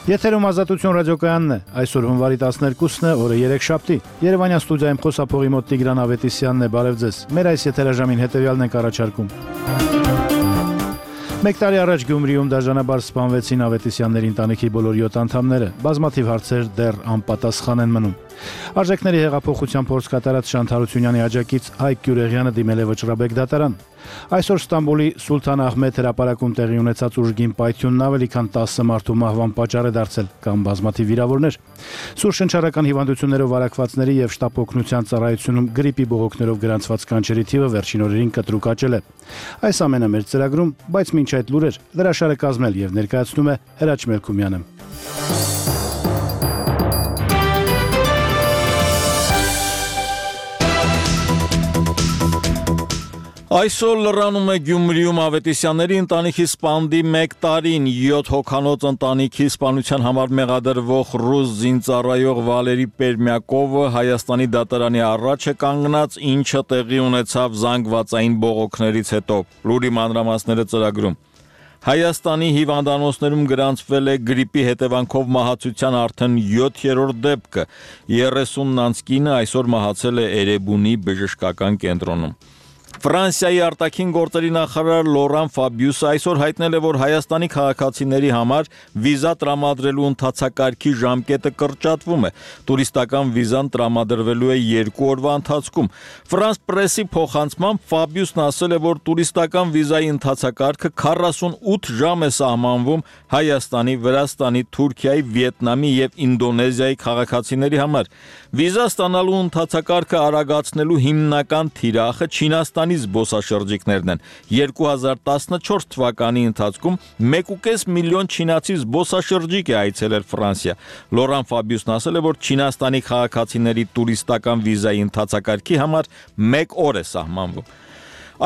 Եթերում Ազատություն ռադիոկայանն է, այսօր հունվարի 12-ն է, օրը 3-շաբթի, Երևանյան ստուդիայում խոսափողի մոտ Տիգրան Ավետիսյանն է, բարև ձեզ, մեր այս եթերաժամին հետևյալն ենք առաջարկում. Մեկ տարի առաջ Գյումրիում դաժանաբար սպանվեցին Ավետիսյանների ընտանիքի բոլոր 7 անդամները, բազմաթիվ հարցեր դեռ անպատասխան են մնում. Արժեքների հեղափոխության փորձ կատարած Շանթ Հարությունյանի աջակից Հայկ Գյուրեղյանը դիմել է Վճռաբեկ դատարան. Այսօր Ստամբուլի Սուլթան Ահմեդ հրապարակում տեղի ունեցած ուժգին պայթյունն ավելի քան 10 մարդու մահվան պատճառ է դարձել կամ բազմաթիվ վիրավորներ. Սուր շնչառական հիվանդություններով վարակվածների եւ շտապ օգնության ծառայությունում գրիպի բողոքներով գրանցված կանչերի թիվը վերջին օրերին կտրուկ աճել է. Այս ամենը մեր ծրագրում, բայց մինչ այդ լուրեր հրաշալը կազմել եւ ներկայացնում է Հրաչ Մելքումյանը. Այսօր լրանում է Գյումրիում Ավետիսյանների ընտանիքի սպանդի 1 տարին 7 հոգանոց ընտանիքի սպանության համար մեղադրվող ռուս զինծառայող Վալերի Պերմյակովը Հայաստանի դատարանի առաջ է կանգնած, ինչը տեղի ունեցավ զանգվածային բողոքներից հետո. Լուրի մանրամասները ծրագրում. Հայաստանի հիվանդանոցներում գրանցվել է գրիպի հետևանքով մահացության արդեն 7-րդ դեպքը, 30 կինը այսօր մահացել է Էրեբունի բժշկական կենտրոնում. Ֆրանսիայի արտաքին գործերի նախարար Լորան Ֆաբիուսը այսօր հայտնել է, որ Հայաստանի քաղաքացիների համար վիզա տրամադրելու ընթացակարգի ժամկետը կրճատվում է. Տուրիստական վիզան տրամադրվելու է 2 օրվա ընթացքում. Ֆրանս պրեսի փոխանցմամբ Ֆաբիուսն ասել է, որ տուրիստական վիզայի ընթացակարգը 48 ժամ է սահմանվում Հայաստանի, Վրաստանի, Թուրքիայի, Վիետնամի եւ Ինդոնեզիայի քաղաքացիների համար. Վիզա ստանալու ընթացակարգը արագացնելու հիմնական թիրախը Չինաստանի զբոսաշրջիկներն են. 2014 թվականի ընթացքում 1.5 միլիոն չինացի զբոսաշրջիկ է այցելել Ֆրանսիա. Լորան Ֆաբիուսն ասել է, որ Չինաստանի քաղաքացիների տուրիստական վիզայի ընթացակարգի համար 1 օր է սահմանվում.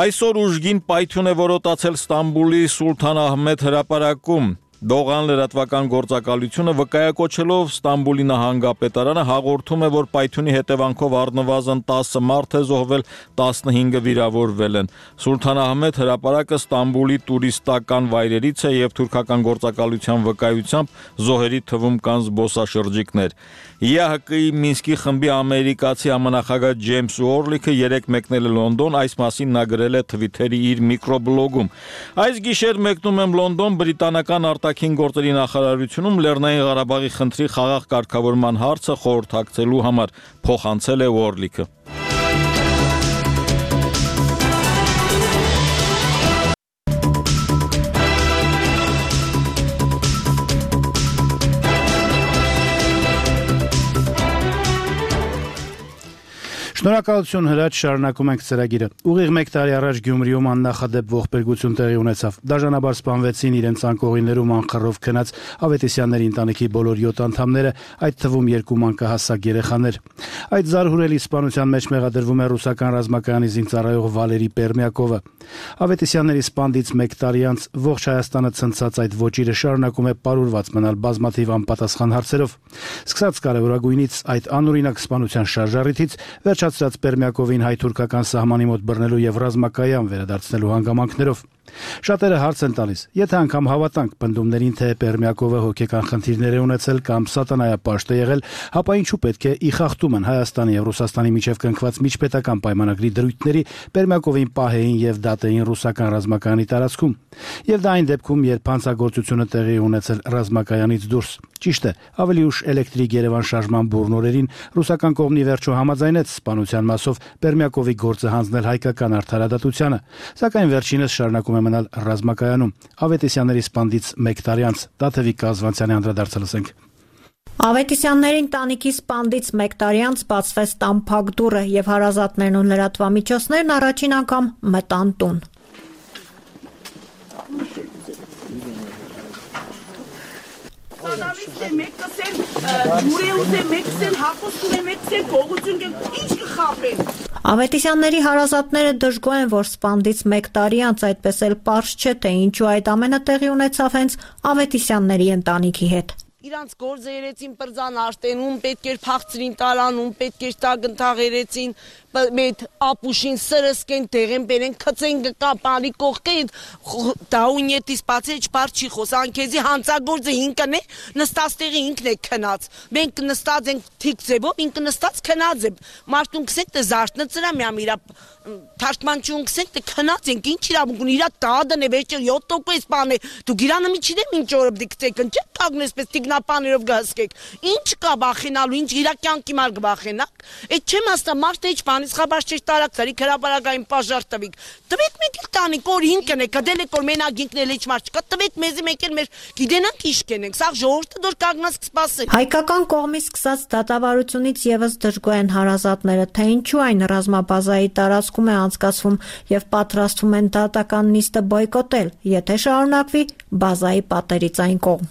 Այսօր ուժգին պայթյուն է որոտացել Ստամբուլի Սուլթան Ահմեդ հրապարակում. Դողան լրատվական գործակալությունը վկայակոչելով Ստամբուլի նահանգապետարանը հաղորդում է, որ պայթյունի հետևանքով առնվազն 10 մարդ է զոհվել, 15-ը վիրավորվել են. Սուլթան Ահմեդ հրապարակը Ստամբուլի տուրիստական վայրերից է եւ թուրքական գործակալության վկայությամբ զոհերի թվում կան զբոսաշրջիկներ. ԵԱՀԿ-ի Մինսկի խմբի ամերիկացի համանախագահ Ջեյմս Ուորլիքը 3 մեկնել է Լոնդոն, այս մասին նա գրել է Թվիթերի իր միկրոբլոգում. Այս գիշեր մեկնում եմ Լոնդոն, բրիտանական արտաքին գործերի նախարարությունում Լեռնային Ղարաբաղի խնդրի խաղաղ կարգավորման հարցը խորհրդակցելու համար, փոխանցել է Ուորլիքը. Շնորհակալություն Հրաչ, շարունակում ենք ծրագիրը. Ուղիղ 1 տարի առաջ Գյումրիում աննախադեպ ողբերգություն տեղի ունեցավ. Դաժանաբար սպանվեցին իրենց անկողիներում անխռով քնած Ավետիսյանների ընտանիքի բոլոր 7 անդամները, այդ թվում 2 մանկահասակ երեխաներ. Այդ զարհուրելի սպանության մեջ մեղադրվում է ռուսական ռազմակայանի զինծառայող Վալերի Պերմյակովը. Ավետիսյանների սպանդից 1 տարի անց ողջ Հայաստանը ցնցած այդ ոճիրը շարունակում է պարուրված մնալ բազմաթիվ անպատասխան հարցերով. Սկսած կարևորագույնից այդ անօրինակ սպանության շարժառիթից վերջացրած Պերմյակովին հայ-թուրքական սահմանի մոտ բռնելու եւ ռազմակայան վերադարձնելու հանգամանքներով. Շատերը հարց են տալիս, եթե անգամ հավատանք պնդումներին, թե Պերմյակովը հոգեկան խնդիրներ է ունեցել կամ սատանայապաշտ է եղել, ապա ինչու պետք է ի խախտումն Հայաստանի եւ Ռուսաստանի միջև կնքված միջպետական պայմանագրի դրույթների Պերմյակովին պահեին եւ դատեին ռուսական ռազմակայանի տարածքում։ Եվ դա այն դեպքում, երբ հանցագործությունը տեղի ունեցել ռազմակայանից դուրս։ Ճիշտ է, ավելի ուշ էլեկտրիկ Երևան շարժման բուրն օրերին ռուսական կողմի վերջո համաձայնեց սպանության մասով Պերմյակովի գործը հանձնել հայկական արդարադատությանը, սակայն վերջինս շարունակում է մնալ ռազմակայանում։ Ավետիսյանների սպանդից 1 տարի անց Տաթևիկ Կազվանցյանի անդրադարձը լսենք. Ավետիսյանների ընտանիքի սպանդից 1 տարի անց բացվեց տան փակ դուռը եւ հարազատներն ու լրատվամիջոցներն առաջին անգամ մտան տուն. Ավետիսյանների հարազատները դժգոհ են, որ սպանդից 1 տարի անց այդպես էլ պարզ չէ, թե ինչու այդ ամենը տեղի ունեցավ հենց Ավետիսյանների ընտանիքի հետ. իրանց գործը երեցին պրձան աշտենում, պետք էր փախցրին տարանում, պետք էր տագնթաղ երեցին, մետ ապուշին սրսկեն, տեղեն բերեն, քծեն կապալի կողքեն, դաունյետից բացի չպար չի խոս, անքեզի հանցագործը ինքն է, նստած տեղի ինքն է քնած, մենք նստած ենք թիկ ձևով, ինքը նստած քնած է, մարդուն կսենք թե զարթնը ծրա միամ իրա թարգմանչուն կսենք թե քնած ենք, ինչ իրավունք ունի, իրա տադն է, վերջեր 7% բան է, դուք իրանը մի չիդեմ ինչ օրը պիտի կծեք, ընչեք կագնեսպես տիգնապաներով գհսկեք, ինչ կա բախենալու, ինչ իրա կյանքի մար գվախենակ, այդ չեմ ասա մարդը ինչ բանից խաբար չէր տարակցարի քրաբարագային պաժար տվիք, տվեք մեկ էլ տանիք, որ ինքն է, կդել եք որ մենակ ինքն էլ ինչ մարդ չկա, տվեք մեզի մեկ էլ մեր գիտենանք ինչ կենենք, սաղ ժողովուրդը դոր կագնաց կսպասել։ Հայկական կողմից սկսած դատավարությունից եւս դժգոհ են հարազատները, թե ինչու այն ռազմաբազայի տարածքում է անցկացվում եւ պատրաստվում են դատական նիստը բոյկոտել, եթե շարունակվի բազայի պատերից այն կողմ։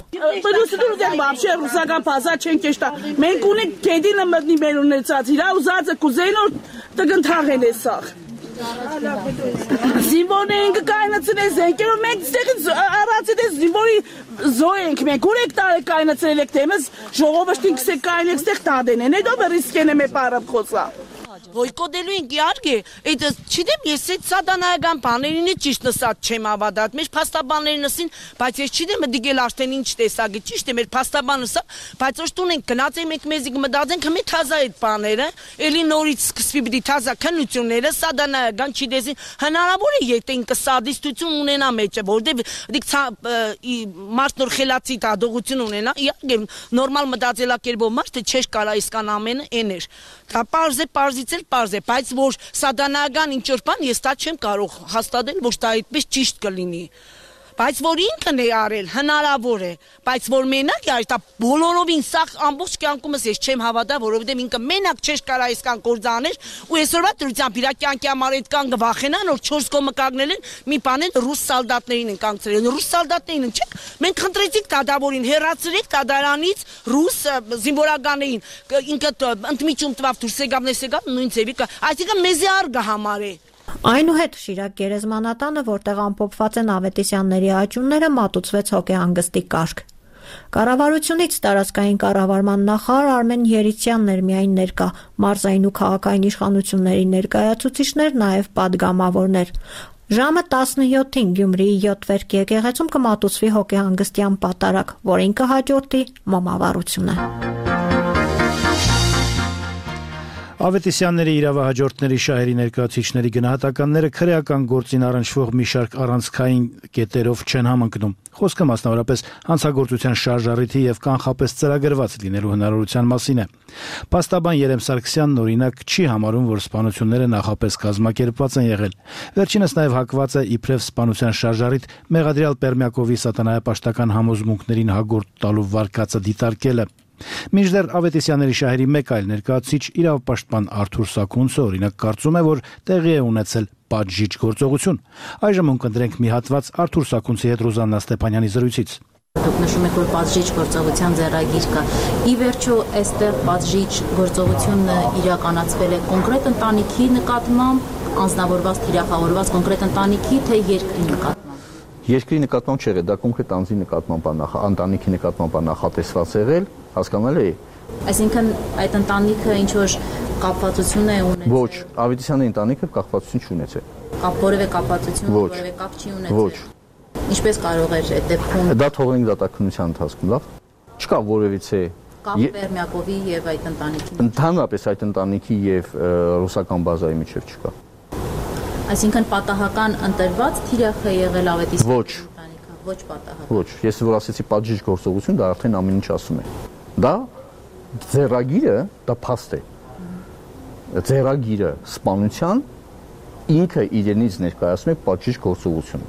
Вообще ռուսական բազա չեն կեշտա։ Մենք ունենք գեդինը մտնի մեր ունեցած, իրա ուզածը կուզենոր տգնթաղել է սաղ։ Զինվորն ենք կայնացնել զենքերով, մենք ստեղից առածել է զինվորի զոհ ենք մենք, ուր եք տարել կայնացրել եք թեմս, ժողովրդին կսեք կայնեք ստեղ տադեն են, հետո ռիսկեն է մեր պարապ խոսա։ Բոյկոտելու ենք իհարկե, այդ չգիտեմ, ես այդ սադանայական բաներին է ճիշտ նստած չեմ ավադատ, մեր փաստաբաններին նստին, բայց ես չգիտեմ, դիգել արդեն ինչ տեսակի, ճիշտ է, մեր փաստաբանը սա, բայց ոչ տուն ենք գնաց ենք մեզի կմտածենք, հմե թազա այդ բաները, էլի նորից սկսվի պիտի թազա քննությունները, սադանայական չգիտեսին, հնարավոր է եթե ինքը սադիստություն ունենա մեջը, որտեղ դիք մարդ նոր խելացի դատողություն ունենա, իհարկե նորմալ մտածելակերպով մարդը չէր կարա իսկան ամենը էներ։ Դա պարզ է, պարզից էլ պարզ է, բայց որ սադանայական ինչ-որ բան ես դա չեմ կարող հաստատել, որ դա այդպես ճիշտ կլինի։ Բայց որ ինքն է արել, հնարավոր է, բայց որ մենակ է, դա բոլորովին սաղ ամբողջ կյանքումս ես չեմ հավատա, որովհետև ինքը մենակ չէր կարա այսքան կործաներ, ու այսօրվա դրությամբ իր կյանքի համար այդքան գվախենան, որ 4 կողմը կանգնել են, մի բան են ռուս սալդատներին են կանգնեցրել, ռուս սալդատներին չէ՞, մենք խնդրեցինք դադավորին, հեռացրեք դադարանից ռուս զինվորականներին, ինքը ընդմիջում տվավ դուրս եկավ, նույն ձևի, այսինքն մեզի արգա համար է։ Այնուհետ Շիրակ գերեզմանատանը, որտեղ ամփոփված են Ավետիսյանների աճյունները, մատուցվեց հոգեհանգստի կարգ։ Կառավարությունից տարածքային կառավարման նախարար Արմեն Երիցյանն էր միայն ներկա, մարզային ու քաղաքային իշխանությունների ներկայացուցիչներ, նաև պատգամավորներ։ Ժամը 17-ին Գյումրիի 7 վերք եկեղեցում կմատուցվի հոգեհանգստյան պատարագ, որին կհաջորդի մոմավառությունը։ Ավետիսյանների իրավահաջորդների շահերի ներկայացուցիչների գնահատականները քրեական գործին առնչվող մի շարք առանցքային կետերով չեն համընկնում։ Խոսքը մասնավորապես հանցագործության շարժառիթի եւ կանխապես ծրագրված լինելու հնարավորության մասին է։ Փաստաբան Երեմ Սարգսյանն օրինակ չի համարում, որ սպանությունները նախապես կազմակերպված են եղել։ Վերջինս նաև հակված է իբրև սպանության շարժառիթ մեղադրյալ Պերմյակովի սատանայապաշտական համոզմունքներին հագորդ տալու վարկածը դիտարկելը։ Մինչդեռ Ավետիսյանների շահերի մեկ այլ ներկայացուցիչ իրավապաշտպան Արթուր Սաքունցը օրինակ կարծում է, որ տեղի է ունեցել պատժիչ գործողություն։ Այժմ ունկնդրենք մի հատված Արթուր Սաքունցի հետ Ռուզաննա Ստեփանյանի զրույցից։ Դուք նշում եք, որ պատժիչ գործողության ձեռագիր կա։ Ի վերջո, այստեղ պատժիչ գործողությունը իրականացվել է կոնկրետ ընտանիքի նկատմամբ, անձնավորված, թիրախավորված կոնկրետ ընտանիքի, թե երկրի նկատմամբ։ Երկրի նկատմամբ չէ, դա կոնկրետ անձի նկատմամբ ընտանիքի նկատմամբ նախատեսված եղել, հասկանալ է։ Այսինքն այդ ընտանիքը ինչ որ կապվածություն է ունեցել։ Ոչ, Ավետիսյանի ընտանիքը կապվածություն չունեցել։ Որևէ կապվածություն, որևէ կապ չի ունեցել։ Ոչ։ Ինչպես կարող էր այդ դեպքում։ Դա թողնենք դատաքննության ընթացքում, լավ։ Չկա որևիցե կապ Պերմյակովի եւ այդ ընտանիքի։ Ընդհանրապես այդ ընտանիքի եւ ռուսական բազայի միջև չկա։ Այսինքն պատահական ընտրված թիրախ է եղել Ավետիսյանի Ոչ։ ընտանիքը, ոչ պատահական։ Ոչ, ես որ ասեցի պատժիչ գործողություն, դա արդեն ամեն ինչ ասում է։ Դա ձեռագիրը, դա փաստ է։ Ձեռագիրը սպանության ինքը իրենից ներկայացնում է պատժիչ գործողություն։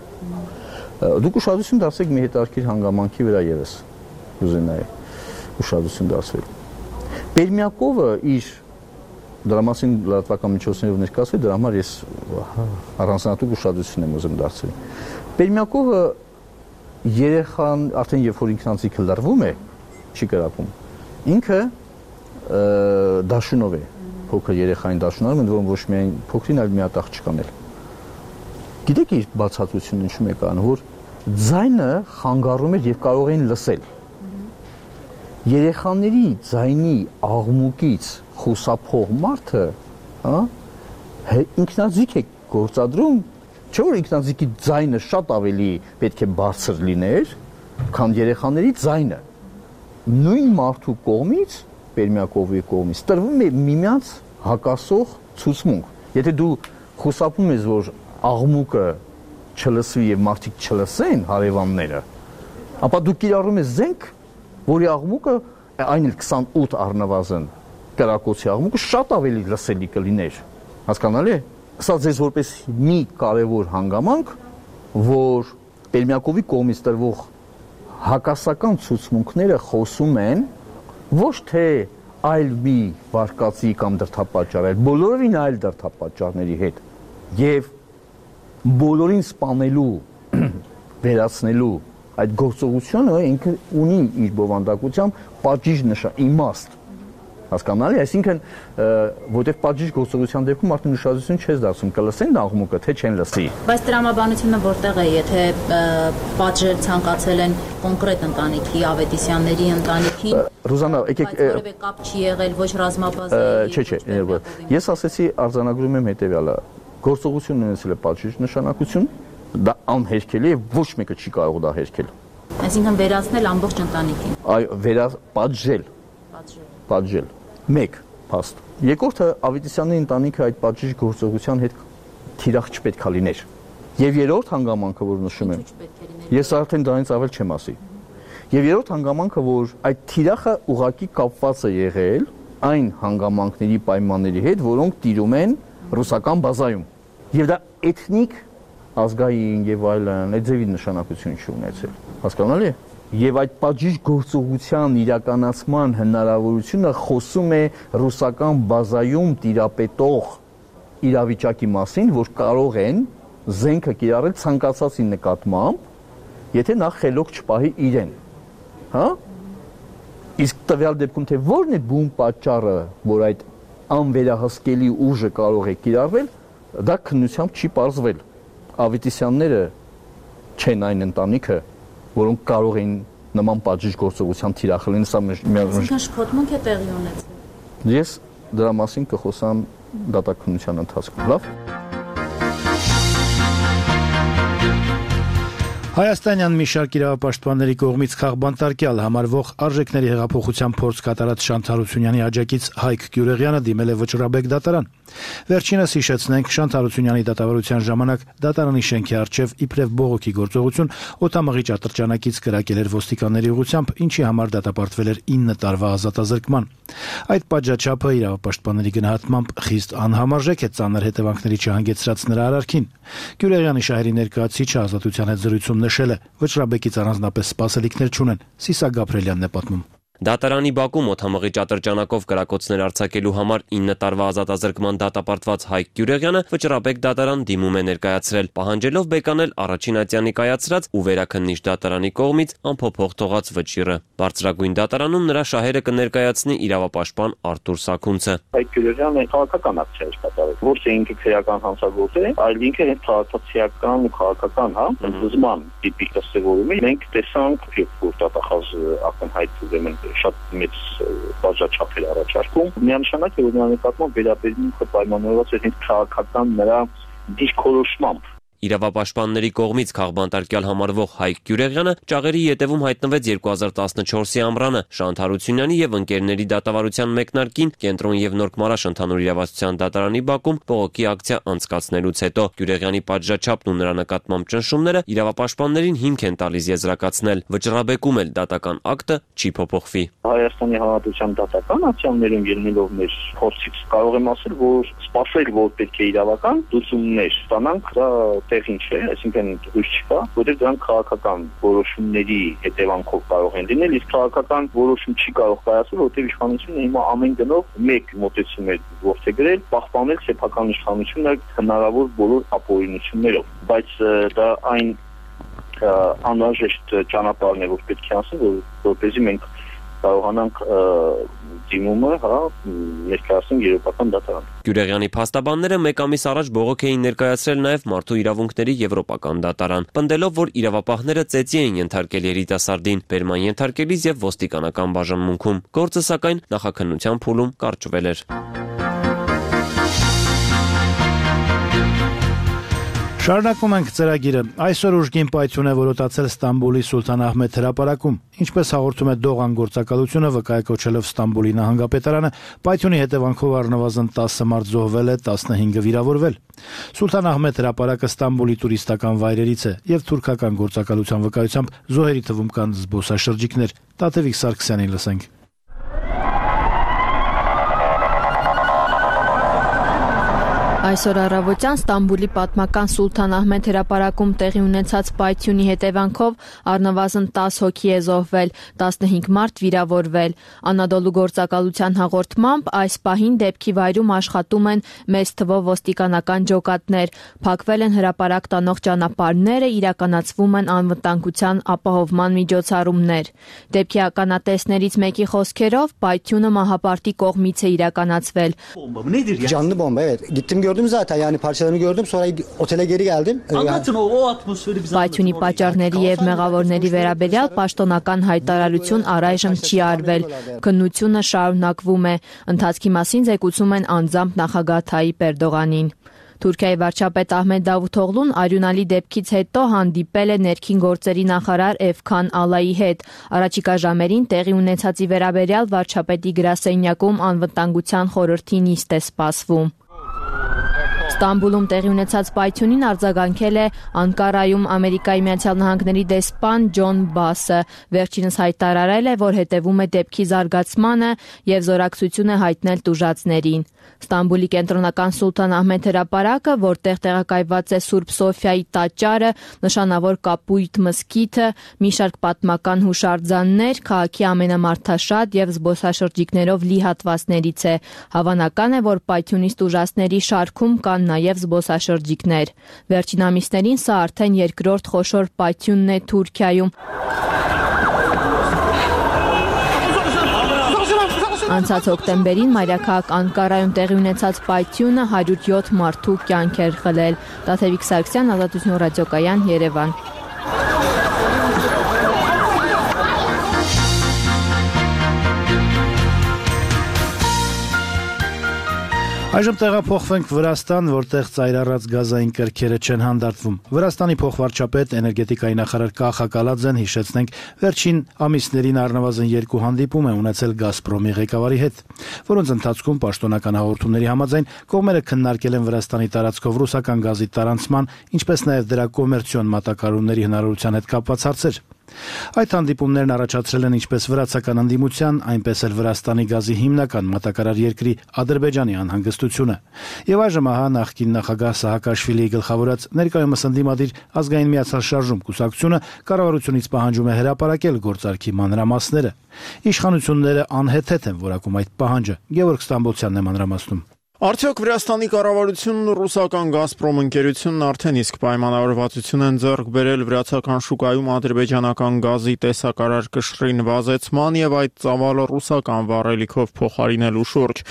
Դուք ուշադրություն դարձեք մի հետաքրքիր հանգամանքի վրա եւս։ Ուզենայի ուշադրություն դարձնել։ Պերմյակովը իր դրա մասին լրատվական միջոցներով ներկայացվել, դրա համար ես առանձնատուկ ուշադրություն եմ ուզում դարձնել։ Պերմյակովը երեխան արդեն երբ որ ինքնանձիկը լրվում է, չի կրակում։ Ինքը դաշունով է, փոքր երեխային դաշունարում, ընդ որում ոչ միայն փոքրին, այլ մի հատ աղջկան էլ։ Գիտեք իր բացատրությունը ինչու՞մ է կան, որ ձայնը խանգարում էր եւ կարող էին լսել։ երեխաների ձայնի աղմուկից խուսափող մարդը, ինքնաձիգ է գործադրում, չէ՞ որ ինքնաձիգի ձայնը շատ ավելի պետք է բարձր լիներ, քան երեխաների ձայնը։ Նույն մարդու կողմից, Պերմյակովի կողմից, տրվում է միմյանց հակասող ցուցմունք։ Եթե դու խուսափում ես, որ աղմուկը չլսվի եւ մարդիկ չլսեն հարևանները, ապա դու կիրառում ես զենք, որի աղմուկը այն էլ 28 առնվազն կրակոցի աղմուկը շատ ավելի լսելի կլիներ։ Հասկանալի է։ Սա ձեզ որպես մի կարևոր հանգամանք, որ Պերմյակովի կողմից տրվող հակասական ցուցմունքները խոսում են ոչ թե այլ մի վարկածի կամ դրդապատճառ, այլ բոլորովին այլ դրդապատճառների հետ եւ բոլորին սպանելու, վերացնելու այդ գործողությունը ինքը ունի իր բովանդակությամբ պատժիժ իմաստ։ Հասկանալի, այսինքն, որտեղ պատժիժ գործողության դեպքում մարդն ուշադրություն չես դարձնում, կլսեն աղմուկը, թե չեն լսի։ Բայց տրամաբանությունը որտեղ է, եթե պատժել ցանկացել են կոնկրետ ընտանիքի, Ավետիսյանների ընտանիքին, Ռուզանա, եկեք որևէ կապ չի եղել, ոչ ռազմաբազայի։ Չէ, ես ասեցի արձանագրում եմ հետեւյալը, գործողությունն ունեցել է պատժիժ նշանակություն, դա անհերքելի է, ոչ մեկը չի կարող դա հերքել։ Այսինքն վերացնել ամբողջ ընտանիքին։ Այո, պատժել։ Մեկ փաստ։ Երկրորդը Ավետիսյանների ընտանիքը այդ պատժիժ գործողության հետ թիրախ չպետք է լիներ։ Եվ երրորդ հանգամանքը, որ նշում եմ, ես արդեն դրանից ավել չեմ ասի։ Եվ երրորդ հանգամանքը, որ այդ թիրախը ուղղակի կապված է եղել այն հանգամանքների պայմանների հետ, որոնք տիրում են ռուսական բազայում։ Եվ դա էթնիկ, ազգային եւ այլն, այդ ձևի նշանակություն չի ունեցել։ Հասկանալի է։ Եվ այդ պատժիժ գործողության իրականացման հնարավորությունը խոսում է ռուսական բազայում տիրապետող իրավիճակի մասին, որ կարող են զենքը կիրառել ցանկացածի նկատմամբ, եթե նա խելոք չպահի իրեն։ Հա? Իսկ տվյալ դեպքում թե որն է բուն պատճառը, որ այդ անվերահսկելի ուժը կարող է կիրառվել, դա քննությամբ չի պարզվել։ Ավետիսյանները չեն այն ընտանիքը, որոնք կարող էին նման պատժիժ գործողության թիրախել են, սա Այսինքն շփոթմունք է տեղի ունեցել։ Ես դրա մասին կխոսամ դատաքննության ընթացքում, լավ։ Հայաստանյան մի շարք իրավապաշտպանների կողմից քաղբանտարկյալ համարվող արժեքների հեղափոխության փորձ կատարած Շանթ Հարությունյանի աջակից Հայկ Գյուրեղյանը դիմել է Վճռաբեկ դատարան։ Վերջինս հիշեցնենք, Շանթ Հարությունյանի դատավարության ժամանակ դատարանի շենքի առջև իբրև բողոքի գործողություն օդամղիչ ատրճանակից կրակել էր ոստիկանների ուղղությամբ, ինչի համար դատապարտվել էր 9 տարվա ազատազրկման։ Այդ պատժաչափը իրավապաշտպանների գնահատմամբ խիստ անհամարժեք է, ծանր հետևանքների չհանգեցրած նրա արարքին։ Գյուրեղյանի շահերի ներկայացուցիչը ազատության հետ զրույցում նշել է, Վճռաբեկից առանձնապես սպասելիքներ չունեն։ Սիսա Գաբրելյանն է պատմում։ Դատարանի բակում օդամղիչ ատրճանակով կրակոցներ արձակելու համար 9 տարվա ազատազրկման դատապարտված Հայկ Գյուրեղյանը Վճռաբեկ դատարան դիմում է ներկայացրել, պահանջելով բեկանել առաջին ատյանի կայացրած ու վերաքննիչ դատարանի կողմից անփոփոխ թողած վճիռը։ Բարձրագույն դատարանում նրա շահերը կներկայացնի իրավապաշտպան Արտուր Սաքունցը։ Հայկ Գյուրեղյանը քաղաքական ակցիա էր կատարել, ոչ թե ինքը քրեական հանցագործ է, այլ ինքը հենց քաղաքացիական ու քաղաքական, ընդդիմման տիպի դասավորում է։ Մենք տեսանք, որ դատախազ ակնհայտ ուրեմն շատ մեծ բաժաչափ էր առաջարկում։ Միանշանակ է, որ նրա նկատմամբ վերաբերմունքը պայմանավորված է հենց քաղաքական նրա դիրքորոշմամբ։ Իրավապաշտպանների կողմից քաղբանտարկյալ համարվող Հայկ Գյուրեղյանը ճաղերի ետևում հայտնվեց 2014-ի ամռանը Շանթ Հարությունյանի եւ ընկերների դատավարության մեկնարկին Կենտրոն եւ Նորք Մարաշ ընդհանուր իրավասության դատարանի բակում բողոքի ակցիա անցկացնելուց հետո Գյուրեղյանի պատժաչափն ու նրա նկատմամբ ճնշումները իրավապաշտպաններին հիմք են տալիս եզրակացնել։ Վճռաբեկում էլ դատական ակտը չի փոփոխվի։ Հայաստանի Հանրապետության դատական ակցիաներում ելնելով մեր փորձից կարող եմ ասել, որ սպասել, որ պետք է իրավական լուծումներ ստանանք, դա տեղին չէ, այսինքն հույս չկա, որտեղ դրանք քաղաքական որոշումների հետևանքով կարող են լինել, իսկ քաղաքական որոշում չի կարող կայացնել, որտեղ իշխանությունը հիմա ամեն գնով մեկ մոտեցում է որդեգրել, պահպանել սեփական իշխանությունը հնարավոր բոլոր ապօրինություններով, բայց դա այն անհրաժեշտ ճանապարհն է, որ պետք է անցնի, որպեսզի մենք կարողանանք դիմումը, ներկայացնենք Եվրոպական դատարան։ Գյուրեղյանի փաստաբանները մեկ ամիս առաջ բողոք էին ներկայացրել նաև Մարդու իրավունքների Եվրոպական դատարան, պնդելով, որ իրավապահները ծեծի էին ենթարկել երիտասարդին, բերման ենթարկելիս եւ ոստիկանական բաժանմունքում։ Գործը սակայն նախաքննության փուլում կարճվել էր։ Շարունակում ենք ծրագիրը։ Այսօր ուժգին պայթյուն է որոտացել Ստամբուլի Սուլթան Ահմեդ հրապարակում։ Ինչպես հաղորդում է Դողան գործակալությունը, վկայակոչելով Ստամբուլի նահանգապետարանը, պայթյունի հետևանքով առնվազն 10 մարդ զոհվել է, 15-ը վիրավորվել։ Սուլթան Ահմեդ հրապարակը Ստամբուլի տուրիստական վայրերից է եւ թուրքական գործակալության վկայությամբ զոհերի թվում կան զբոսաշրջիկներ։ Տաթևիկ Սարգսյանին լսենք։ Այսօր առավոտյան Ստամբուլի պատմական Սուլթան Ահմեդ հրապարակում տեղի ունեցած պայթյունի հետևանքով առնվազն 10 հոգի է զոհվել, 15 մարդ վիրավորվել։ Անադոլու գործակալության հաղորդմամբ այս պահին դեպքի վայրում աշխատում են մեծ թվով ոստիկանական ջոկատներ, փակվել են հրապարակ տանող ճանապարհները, իրականացվում են անվտանգության ապահովման միջոցառումներ։ Դեպքի ականատեսներից մեկի խոսքերով պայթյունը մահապարտի կողմից է իրականացվել։ Canlı bomba, evet. Gittim gördüm zaten, yani parçalarını gördüm, sonra otele geri geldim. Anlatın o atmosferi bize. Պայթյունի պատճառների եւ մեղավորների վերաբերյալ պաշտոնական հայտարարություն առայժմ չի արվել։ Քննությունը շարունակվում է։ Ընթացքի մասին զեկուցում են անձամբ նախագահ Թայիպ Էրդողանին։ Թուրքիայի վարչապետ Ահմեդ Դավութօղլուն արյունալի դեպքից հետո հանդիպել է ներքին գործերի նախարար Էվքան Ալայի հետ։ Առաջիկա ժամերին տեղի ունեցածի վերաբերյալ վարչապետի գրասենյակում անվտանգության խորհրդի նիստ է սպասվում։ Ստամբուլում տեղի ունեցած պայթյունին արձագանքել է Անկարայում Ամերիկայի Միացյալ Նահանգների դեսպան Ջոն Բասը։ Վերջինս հայտարարել է, որ հետևում է դեպքի զարգացմանը եւ զորակցություն է հայտնել տուժածներին։ Ստամբուլի կենտրոնական Սուլթան Ահմեդ հրապարակը, որտեղ տեղակայված է Սուրբ Սոֆիայի տաճարը, նշանավոր Կապույտ մզկիթը, մի շարք պատմական հուշարձաններ, քաղաքի ամենամարդաշատ եւ զբոսաշրջիկներով լի հատվածներից է։ Հավանական է, որ պայթյունից տուժածների շարքում կան նաև զբոսաշրջիկներ։ Վերջին ամիսներին սա արդեն երկրորդ խոշոր պայթյունն է Թուրքիայում։ Անցած հոկտեմբերին մայրաքաղաք Անկարայում տեղի ունեցած պայթյունը 107 մարդու կյանք էր խլել։ Տաթևիկ Սարգսյան, Ազատություն ռադիոկայան, Երևան։ Այժմ տեղափոխվենք Վրաստան, որտեղ ծայրառած գազային կրքերը չեն հանդարտվում։ Վրաստանի փոխվարչապետ էներգետիկայի նախարար Կախա Կալաձեն հիշեցնենք վերջին ամիսներին առնվազն 2 հանդիպում է ունեցել Գազպրոմի ղեկավարի հետ, որոնց ընթացքում պաշտոնական հաղորդումների համաձայն կողմերը քննարկել են Վրաստանի տարածքով ռուսական գազի տարանցման, ինչպես նաև դրա կոմերցիոն մատակարարումների հնարավորության հետ կապված հարցեր։ Այդ հանդիպումներն առաջացրել են ինչպես վրացական ընդդիմության, այնպես էլ Վրաստանի գազի հիմնական մատակարար երկրի Ադրբեջանի անհանգստությունը։ Եվ այժմ ահա նախկին նախագահ Սահակաշվիլիի գլխավորած ներկայումս ընդդիմադիր ազգային միացյալ շարժում կուսակցությունը կառավարությունից պահանջում է հրապարակել գործարքի մանրամասները։ Իշխանությունները անհեթեթ են որակում այդ պահանջը։ Գևորգ Ստամբոլցյանն է մանրամասնում։ Արդյոք Վրաստանի կառավարությունն ու ռուսական Գազպրոմ ընկերությունն արդեն իսկ պայմանավորվածություն են ձեռք բերել վրացական շուկայում ադրբեջանական գազի տեսակարար կշռին վազեցման եւ այդ ծավալը ռուսական վառելիքով փոխարինելու շուրջ։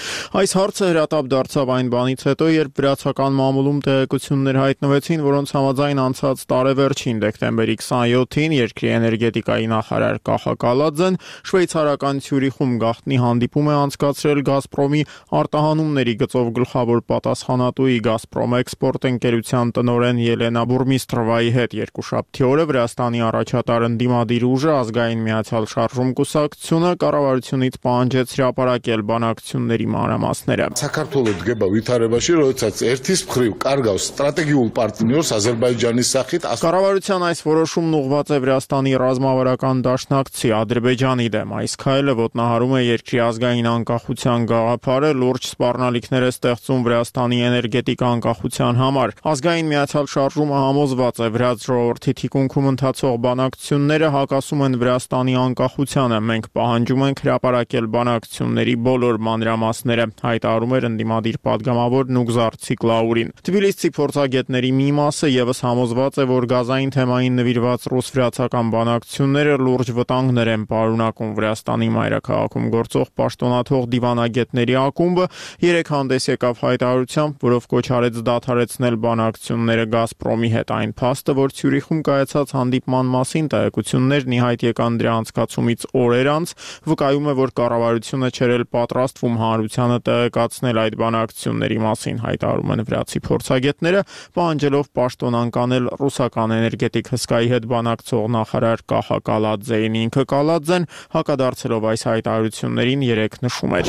Այս հարցը հրատապ դարձավ այն բանից հետո, երբ վրացական մամուլում տեղեկություններ հայտնվեցին, որոնց համաձայն անցած տարեվերջին դեկտեմբերի 27-ին երկրի էներգետիկայի նախարար Կախա Կալաձեն շվեյցարական Ցյուրիխում գաղտնի հանդիպում է անցկացրել Գազպրոմի արտահանումների գլխավոր պատասխանատուի Գազպրոմ էքսպորտ ընկերության տնօրեն Ելենա Բուրմիստրովայի հետ երկուշաբթի օրը Վրաստանի առաջատար ընդդիմադիր ուժը ազգային միացյալ շարժում կուսակցությունը կառավարությունից պահանջեց հրապարակել բանակցությունների մանրամասները։ Საქართველოს დგება ვითარებაში, როდესაც ერთის მხრივ კარგავს სტრატეგიულ პარტნიორს Ադրբեջանի სახით։ Կառավարության այս որոշումն ուղղված է Վրաստանի ռազմավարական դաշնակցի Ադրբեջանի դեմ։ Այս քայլը ոտնահարում է երկրի ազգային անկախության գաղափարը, լուրջ սպառնալիքներ է է ստեղծում Վրաստանի էներգետիկ անկախության համար։ Ազգային միացյալ շարժումը համոզված է, վրաց ժողովրդի թիկունքում ընթացող բանակցությունները հակասում են Վրաստանի անկախությանը։ Մենք պահանջում ենք հրապարակել բանակցությունների բոլոր մանրամասները, հայտարարում էր ընդդիմադիր պատգամավոր Նուգզար Ցիկլաուրին։ Թբիլիսցի փորձագետների մի մասը եւս համոզված է, որ գազային թեմային նվիրված ռուս-վրացական բանակցությունները լուրջ վտանգներ են պարունակում։ Վրաստանի մայրաքաղաքում գործող պաշտոնաթող դիվանագետների ակումբը երեկ հանդես եկավ հայտարարությամբ, որով կոչ արեց դադարեցնել բանակցությունները Գազպրոմի հետ։ Այն փաստը, որ Ցյուրիխում կայացած հանդիպման մասին տեղեկություններն ի հայտ եկան դրա անցկացումից օրեր անց, վկայում է, որ կառավարությունը չէր էլ պատրաստվում հանրությանը տեղեկացնել այդ բանակցությունների մասին, հայտարարում են վրացի փորձագետները, պահանջելով պաշտոն անկանել ռուսական էներգետիկ հսկայի հետ բանակցող նախարար Կահա Կալաձեին։ Ինքը Կալաձեն հակադարձելով այս հայտարարություններին երեկ նշում էր.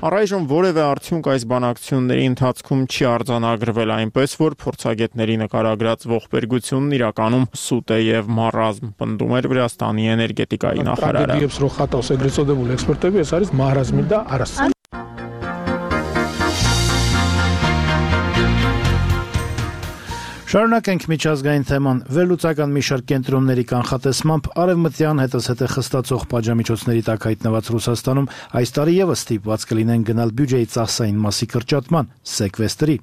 Առայժմ որևէ արդյունք այս բանակցությունների ընթացքում չի արձանագրվել, այնպես որ փորձագետների նկարագրած ողբերգությունն իրականում սուտ է եւ մառազմ, պնդում էր Վրաստանի էներգետիկայի նախարարը։ Շարունակենք միջազգային թեման։ Վերլուծական մի շարք կենտրոնների կանխատեսմամբ արևմտյան հետզհետե խստացող պատժամիջոցների տակ հայտնված Ռուսաստանում այս տարի եւս ստիպված կլինեն գնալ բյուջեի ծախսային մասի կրճատման, սեկվեստրի։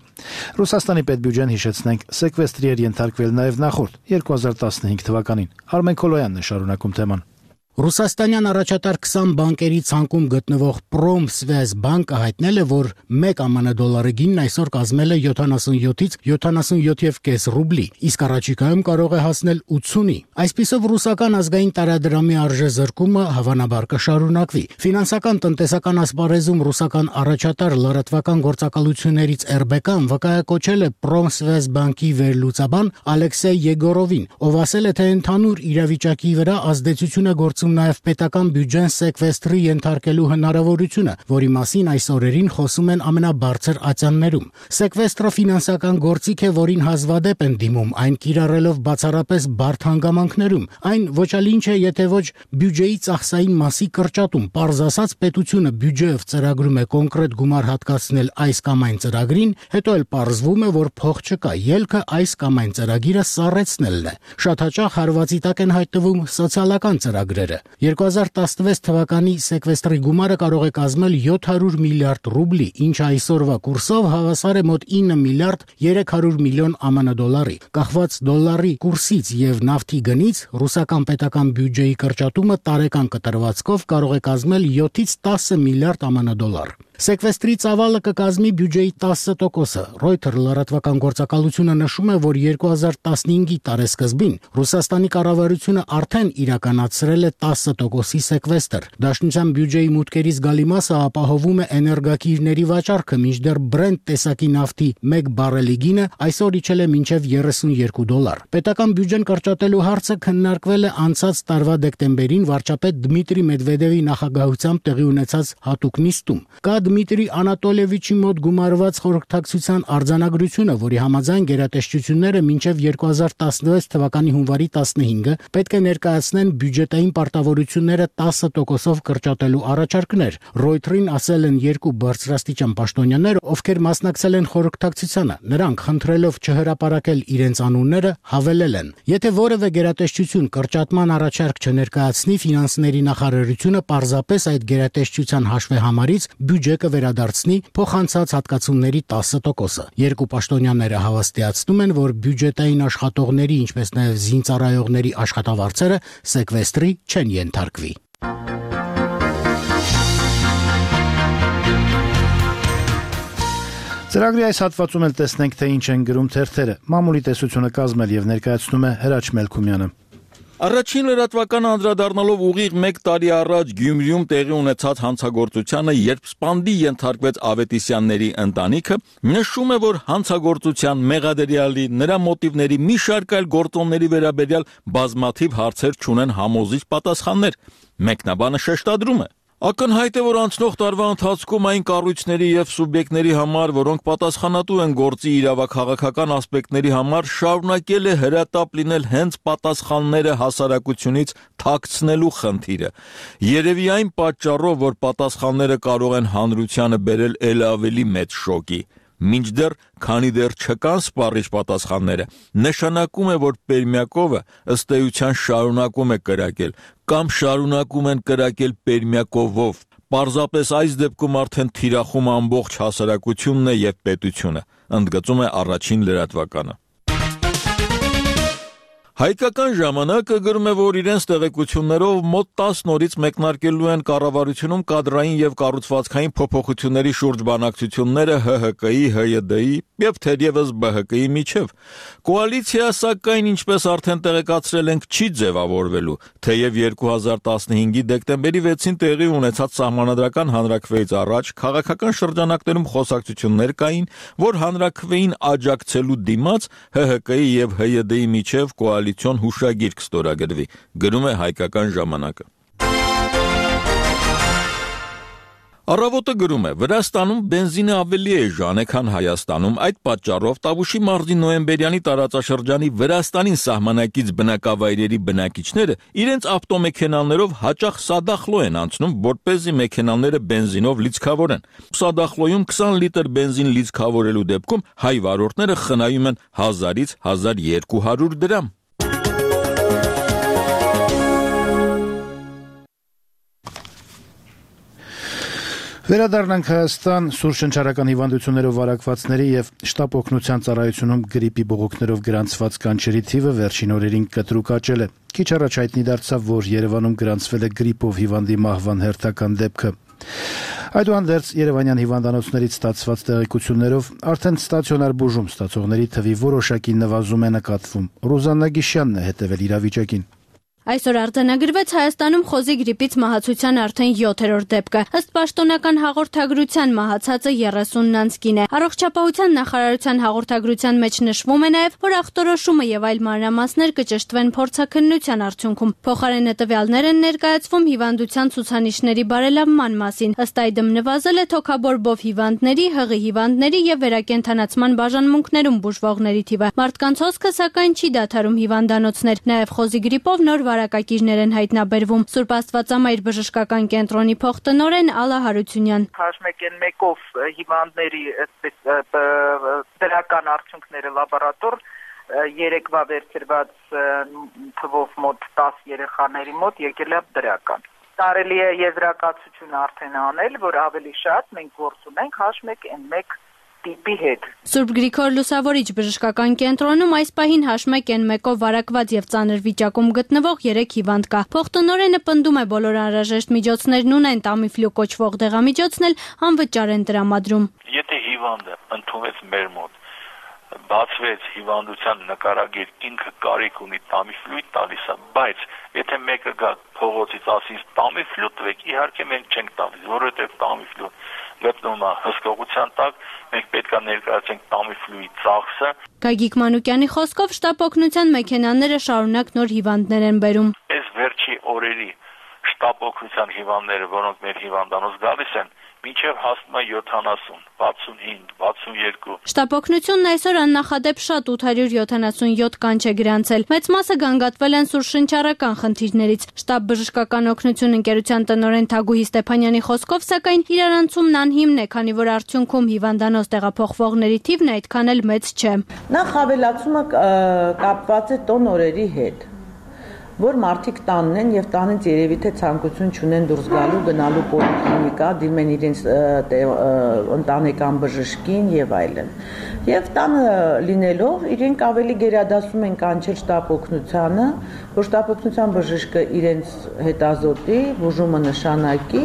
Ռուսաստանի պետբյուջեն, հիշեցնենք, սեկվեստրի էր ենթարկվել նաեւ նախորդ 2015 թվականին։ Արմեն Քոլոյանն է շարունակում թեման։ Ռուսաստանյան առաջատար 20 բանկերի ցանկում գտնվող Պրոմսվեզբանկը հայտնել է, որ 1 ԱՄՆ դոլարի գինն այսօր կազմել է 77-ից 77.5 ռուբլի, իսկ առաջիկայում կարող է հասնել 80-ի։ Այսպիսով ռուսական ազգային տարադրամի արժեզրկումը հավանաբար կշարունակվի։ Ֆինանսական տնտեսական ասպարեզում ռուսական առաջատար լրատվական գործակալություններից RBK-ն վկայակոչել է Պրոմսվեզբանկի վերլուծաբան Ալեքսեյ Եգորովին, ով ասել է, թե ընդհանուր իրավիճակի վրա ազդեցություն է գործում նաև պետական բյուջեն սեկվեստրի ենթարկելու հնարավորությունը, որի մասին այս օրերին խոսում են ամենաբարձր ատյաններում։ Սեկվեստրը ֆինանսական գործիք է, որին հազվադեպ են դիմում, այն կիրառելով բացառապես բարդ հանգամանքներում։ Այն ոչալինչ է, եթե ոչ բյուջեի ծախսային մասի կրճատում։ Պարզ ասած, պետությունը բյուջեով ծրագրում է կոնկրետ գումար հատկացնել այս կամ այն ծրագրին, հետո էլ պարզվում է, որ փող չկա, ելքը այս կամ այն ծրագիրը սառեցնելն է։ Շատ հաճախ հարվածի տակ են հայտնվում սոցիալական ծրագրերը։ 2016 թվականի սեկվեստրի գումարը կարող է կազմել 700 միլիարդ ռուբլի, ինչը այսօրվա կուրսով հավասար է մոտ 9 միլիարդ 300 միլիոն ԱՄՆ դոլարի։ Կախված դոլարի կուրսից եւ նավթի գնից ռուսական պետական բյուջեի կրճատումը տարեկան կտրվածքով կարող է կազմել 7-ից 10 միլիարդ ԱՄՆ դոլար։ Սեկվեստրի ծավալը կկազմի բյուջեի 10%-ը։ Reuters լրատվական գործակալությունը նշում է, որ 2015-ի տարեսկզբին Ռուսաստանի կառավարությունը արդեն իրականացրել է 10%-ի սեկվեստր։ Դաշնության բյուջեի մուտքերի զգալի մասը ապահովում է էներգակիրների վաճառքը, մինչդեռ Brent տեսակի նավթի 1 բարելի գինը այսօր իջել է մինչև $32։ Պետական բյուջեն կրճատելու հարցը քննարկվել է անցած տարվա դեկտեմբերին վարչապետ Դմիտրի Մեդվեդևի նախագահությամբ տեղի ունեցած հատուկ նիստում։ Կա Դմիտրի Անատոլիևիչի մոտ գումարված խորհրդակցության արձանագրությունը, որի համաձայն գերատեսչությունները մինչև 2016 թվականի հունվարի 15-ը պետք է ներկայացնեն բյուջետային պարտավորությունները 10%-ով կրճատելու առաջարկներ։ Reuters-ին ասել են երկու բարձրաստիճան պաշտոնյաներ, ովքեր մասնակցել են խորհրդակցությանը։ Նրանք խնդրելով չհրապարակել իրենց անունները, հավելել են. Եթե որևէ գերատեսչություն կրճատման առաջարկ չներկայացնի, ֆինանսների նախարարությունը պարզապես այդ գերատեսչության հաշվեհամարից բյուջե կվերադարձնի փոխանցած հատկացումների 10%-ը։ Երկու պաշտոնյաները հավաստիացնում են, որ բյուջետային աշխատողների, ինչպես նաև զինծառայողների աշխատավարձերը սեկվեստրի չեն ենթարկվի։ Ծրագրի այս հատվածում էլ տեսնենք, թե ինչ են գրում թերթերը։ Մամուլի տեսությունը կազմել եւ ներկայացնում է Հրաչ Մելքումյանը։ Առաջին լրատվական անդրադառնալով ուղիղ 1 տարի առաջ Գյումրիում տեղի ունեցած հանցագործությանը, երբ սպանդի ենթարկվեց Ավետիսյանների ընտանիքը, նշում է, որ հանցագործության մեղադրյալի, նրա մոտիվների մի շարք այլ գործոնների վերաբերյալ բազմաթիվ հարցեր չունեն համոզիչ պատասխաններ։ Մեկնաբանը շեշտադրում է. Ակնհայտ է, որ անցնող տարվա ընթացքում այն կառույցների եւ սուբյեկտների համար, որոնք պատասխանատու են գործի իրավաքաղաքական ասպեկտների համար, շարունակել է հրատապ լինել հենց պատասխանները հասարակությունից թաքցնելու խնդիրը։ Երևի այն պատճառով, որ պատասխանները կարող են հանրությանը բերել ել ավելի մեծ շոկի։ Մինչդեռ, քանի դեռ չկան սպառիչ պատասխանները, նշանակում է, որ Պերմյակովը ըստ էության շարունակում է կրակել կամ շարունակում են կրակել Պերմյակովով։ Պարզապես այս դեպքում արդեն թիրախում ամբողջ հասարակությունն է եւ պետությունը, ընդգծում է առաջին լրատվականը։ Հայկական ժամանակը գրում է, որ իրենց տեղեկություններով մոտ 10 նորից մեկնարկելու են կառավարությունում կադրային եւ կառուցվածքային փոփոխությունների շուրջ բանակցությունները ՀՀԿ-ի, ՀՅԴ-ի եւ թերևս ԲՀԿ-ի միջև։ Կոալիցիա, սակայն, ինչպես արդեն տեղեկացրել ենք, չի ձևավորվելու, թեև 2015-ի դեկտեմբերի 6-ին տեղի ունեցած սահմանադրական հանրաքվեից առաջ քաղաքական շրջանակներում խոսակցություններ կային, որ հանրաքվեին աջակցելու դիմաց ՀՀԿ-ի եւ ՀՅԴ-ի միջև կոալիցիոն հուշագիր կստորագրվի, գրում է Հայկական ժամանակը։ Առավոտը գրում է. Վրաստանում բենզինը ավելի էժան է, քան Հայաստանում, այդ պատճառով Տավուշի մարզի նոյեմբերյանի տարածաշրջանի Վրաստանին սահմանակից բնակավայրերի բնակիչները իրենց ավտոմեքենաներով հաճախ Սադախլո են անցնում, որպեսզի մեքենաները բենզինով լիցքավորեն։ Սադախլոյում 20 լիտր բենզին լիցքավորելու դեպքում հայ վարորդները խնայում են 1000-ից 1200 դրամ։ Վերադառնանք Հայաստան, սուր շնչառական հիվանդություններով վարակվածների եւ շտապ օգնության ծառայությունում գրիպի բողոքներով գրանցված կանչերի թիվը վերջին օրերին կտրուկ աճել է։ Քիչ առաջ հայտնի դարձավ, որ Երևանում գրանցվել է գրիպով հիվանդի մահվան հերթական դեպքը։ Այդուհանդերձ Երևանյան հիվանդանոցներից ստացված տեղեկություններով արդեն ստացիոնար բուժում ստացողների թվի որոշակի նվազում է նկատվում։ Ռուզաննա Գիշյանն է հետևել իրավիճակին։ Այսօր արձանագրվեց Հայաստանում խոզի գրիպից մահացության արդեն 7-րդ դեպքը։ Ըստ պաշտոնական հաղորդագրության մահացածը 30 անց կին է։ Առողջապահության նախարարության հաղորդագրության մեջ նշվում է նաև, որ ախտորոշումը եւ այլ մանրամասներ կճշտվեն փորձաքննության արդյունքում։ Փոխարենը տվյալներ են ներկայացվում հիվանդության ցուցանիշների բարելավման մասին։ Ըստ այդմ նվազել է թոքաբորբով հիվանդների, հղի հիվանդների եւ վերակենդանացման բաժանմունքներում բուժվողների թիվը։ Մարդկանց հոսքը սակայն չի դադարում հիվանդանոցներ։ Նաև խոզի գրիպով նոր վարակակիրներ են հայտնաբերվում։ Սուրբ Աստվածամայր բժշկական կենտրոնի փոխտնօրեն Ալա Հարությունյան։ H1N1-ով հիվանդների դրական արդյունքները լաբորատոր երեկվա վերցրված թվով մոտ 10 երեխաների մոտ եկել է դրական։ Կարելի է եզրակացություն արդեն անել, որ ավելի շատ մենք գործ ունենք H1N1 տիպի հետ։ Սուրբ Գրիգոր Լուսավորիչ բժշկական կենտրոնում այս պահին H1N1-ով վարակված եւ ծանր վիճակում գտնվող 3 հիվանդ կա։ Փոխտնօրենը պնդում է բոլոր անհրաժեշտ միջոցներն ունեն, Tamiflu կոչվող դեղամիջոցն էլ անվճար են տրամադրում։ Եթե հիվանդը ընդունվեց մեր մոտ, բացվեց հիվանդության նկարագիր, ինքը կարիք ունի Tamiflu-ի տալիս է, բայց եթե մեկը գա փողոցից ասի Tamiflu տվեք, իհարկե մենք չենք տալիս, որովհետեւ Tamiflu գտնվում է հսկողության տակ, մենք պետք է ներկայացնենք Tamiflu-ի ծախսը։ Գագիկ Մանուկյանի խոսքով շտապ օգնության մեքենաները շարունակ նոր հիվանդներ են բերում։ Այս վերջի օրերի շտապ օգնության հիվանդները, որոնք մեր հիվանդանոց գալիս են, մինչև հասնում է 70, 65, 62։ Շտապ օգնությունն այսօր աննախադեպ շատ 877 կանչ է գրանցել։ Մեծ մասը գանգատվել են սուրշնչառական խնդիրներից։ Շտապ բժշկական օգնություն ընկերության տնօրեն Թագուհի Ստեփանյանի խոսքով, սակայն իրարանցումն անհիմն է, քանի որ արդյունքում հիվանդանոց տեղափոխվողների թիվն այդքան էլ մեծ չէ։ Նախ ավելացումը կապված է տոն օրերի հետ, որ մարդիկ տանն են եւ տանից երևի թե ցանկություն չունեն դուրս գալու, գնալու պոլիկլինիկա, դիմեն են իրենց ընտանեկան բժշկին եւ այլն։ Եվ տանը լինելով իրենք ավելի գերադասում են կանչել շտապ օգնությանը, որ շտապ օգնության բժիշկը իրենց հետազոտի, բուժումը նշանակի։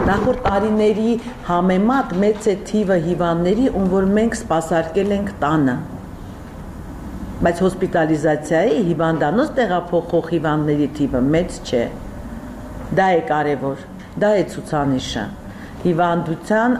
Նախորդ տարիների համեմատ մեծ է թիվը հիվանդների, ում որ մենք սպասարկել ենք տանը։ Բայց հոսպիտալիզացիայի հիվանդանոց տեղափոխող հիվանդների թիվը մեծ չէ։ Դա է կարևոր, դա է ցուցանիշը հիվանդության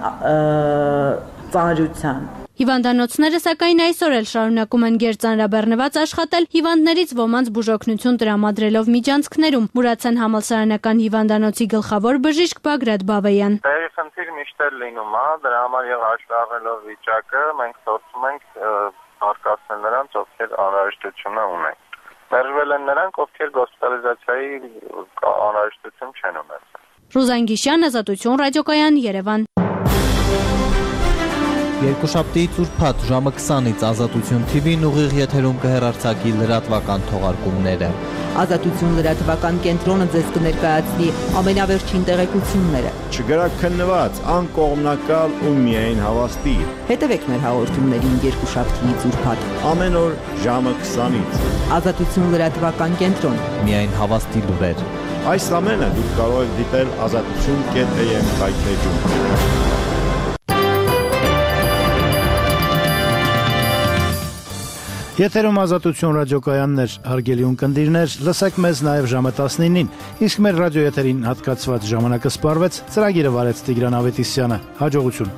ծանրության։ Հիվանդանոցները սակայն այսօր էլ շարունակում են գերծանրաբեռնված աշխատել, հիվանդներից ոմանց բուժօգնություն տրամադրելով միջանցքներում, Մուրացան համալսարանական հիվանդանոցի գլխավոր բժիշկ Բագրատ Բավեյան։ Տեղի խնդիր միշտ էլ լինում է, դրա համար եւ հաշվի առնելով վիճակը մենք փորձում ենք արկածնել նրանց, ովքեր անհրաժեշտություն ունեն։ Մերժվել են նրանք, ովքեր գոսպիտալիզացիայի անհրաժեշտություն չեն ունեցել։ Ռուզան Գիշյան, Ազատություն ռադիոկայան, Երևան։ Երկուշաբթի ծուրփաթ ժամը 20-ից Ազատություն TV-ն ուղիղ եթերում կհեռարձակի լրատվական թողարկումները։ Ազատություն լրատվական կենտրոնը ձեզ կներկայացնի ամենավերջին տեղեկությունները։ Չգրաքննված, անկողմնակալ ու միայն հավաստի։ Հետևեք մեր հաղորդումներին երկուշաբթի ծուրփաթ ամեն օր ժամը 20-ից։ Ազատություն լրատվական կենտրոն, միայն հավաստի լուրեր։ Այս ամենը դուք կարող եք դիտել azatutun.am հայթեջում։ Եթերում Ազատություն ռադիոկայաններ, հարգելի ունկնդիրներ, լսեք մեզ նաև ժամը 19-ին, իսկ մեր ռադիոեթերին հատկացված ժամանակը սպառվեց, ծրագիրը վարեց Տիգրան Ավետիսյանը, հաջողություն։